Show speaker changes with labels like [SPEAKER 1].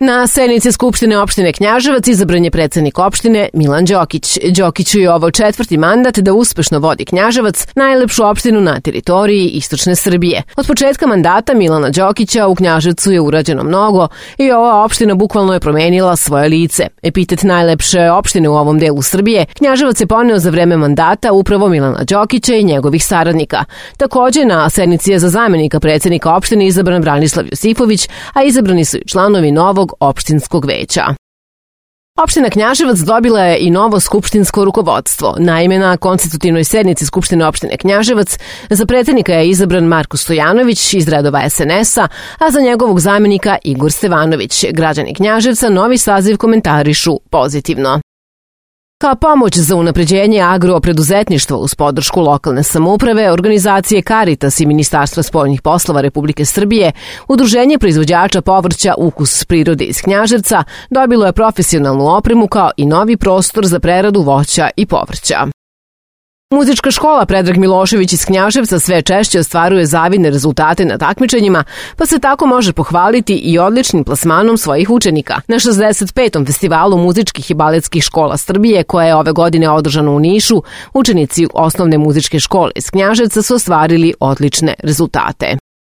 [SPEAKER 1] Na sednici Skupštine opštine Knjaževac izabran je predsednik opštine Milan Đokić. Đokiću je ovo 4. mandat da uspešno vodi Knjaževac, najlepšu opštinu na teritoriji istočne Srbije. Od početka mandata Milana Đokića u Knjaževcu je urađeno mnogo i ova opština bukvalno je promenila svoje lice. Epitet najlepše opštine u ovom delu Srbije Knjaževac je poneo za vreme mandata upravo Milana Đokića i njegovih saradnika. Takođe, na sednici je za zamenika predsednika opštine izabran Branislav Josifović, a izabrani su i članovi novog opštinskog veća. Opština Knjaževac dobila je i novo skupštinsko rukovodstvo. Naime, na konstitutivnoj sednici Skupštine opštine Knjaževac za predsednika je izabran Marko Stojanović iz redova SNS-a, a za njegovog zamenika Igor Stevanović. Građani Knjaževca novi saziv komentarišu pozitivno. Kao pomoć za unapređenje agropreduzetništva uz podršku lokalne samouprave, organizacije Caritas i Ministarstva spoljnih poslova Republike Srbije, Udruženje proizvođača povrća Ukus prirode iz Knjaževca dobilo je profesionalnu opremu kao i novi prostor za preradu voća i povrća. Muzička škola Predrag Milošević iz Knjaževca sve češće ostvaruje zavidne rezultate na takmičenjima, pa se tako može pohvaliti i odličnim plasmanom svojih učenika. Na 65. festivalu muzičkih i baletskih škola Srbije, koja je ove godine održano u Nišu, učenici osnovne muzičke škole iz Knjaževca su ostvarili odlične rezultate.